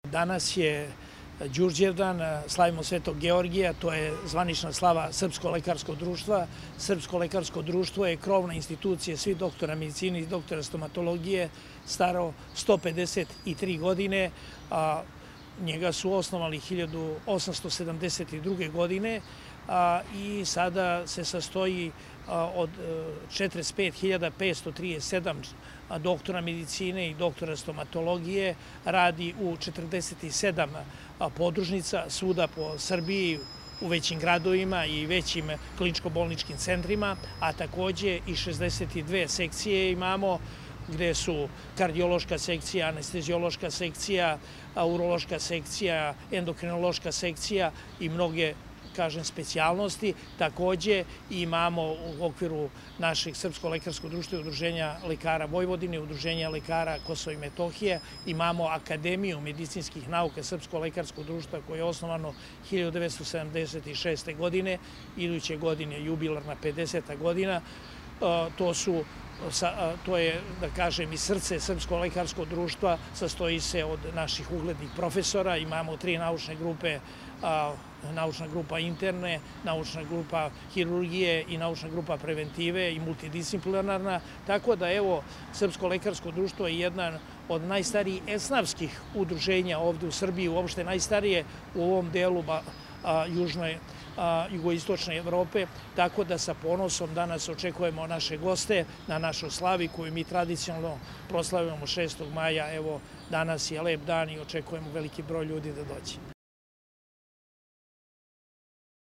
Danas je Đurđevdan, slavimo Svetog Georgija, to je zvanična slava Srpsko lekarsko društva. Srpsko lekarsko društvo je krovna institucija svih doktora medicine i doktora stomatologije, staro 153 godine. Njega su osnovali 1872. godine i sada se sastoji od 45.537 doktora medicine i doktora stomatologije, radi u 47 podružnica svuda po Srbiji, u većim gradovima i većim kliničko-bolničkim centrima, a takođe i 62 sekcije imamo, gde su kardiološka sekcija, anesteziološka sekcija, urološka sekcija, endokrinološka sekcija i mnoge, kažem, specijalnosti. Takođe imamo u okviru našeg Srpsko lekarsko društva i Udruženja lekara Vojvodine, Udruženja lekara Kosova i Metohije, imamo Akademiju medicinskih nauka Srpsko lekarsko društva koje je osnovano 1976. godine, iduće godine jubilarna 50. godina. To je, da kažem, i srce Srpsko lekarsko društva, sastoji se od naših uglednih profesora, imamo 3 naučne grupe, naučna grupa interne, naučna grupa hirurgije i naučna grupa preventive i multidisciplinarna, tako da evo Srpsko lekarsko društvo je jedan od najstarijih esnafskih udruženja ovde u Srbiji, uopšte najstarije u ovom delu jugoistočne Evrope, tako da sa ponosom danas očekujemo naše goste na našoj slavi koju mi tradicionalno proslavljamo 6. maja. Evo, danas je lep dan i očekujemo veliki broj ljudi da dođe.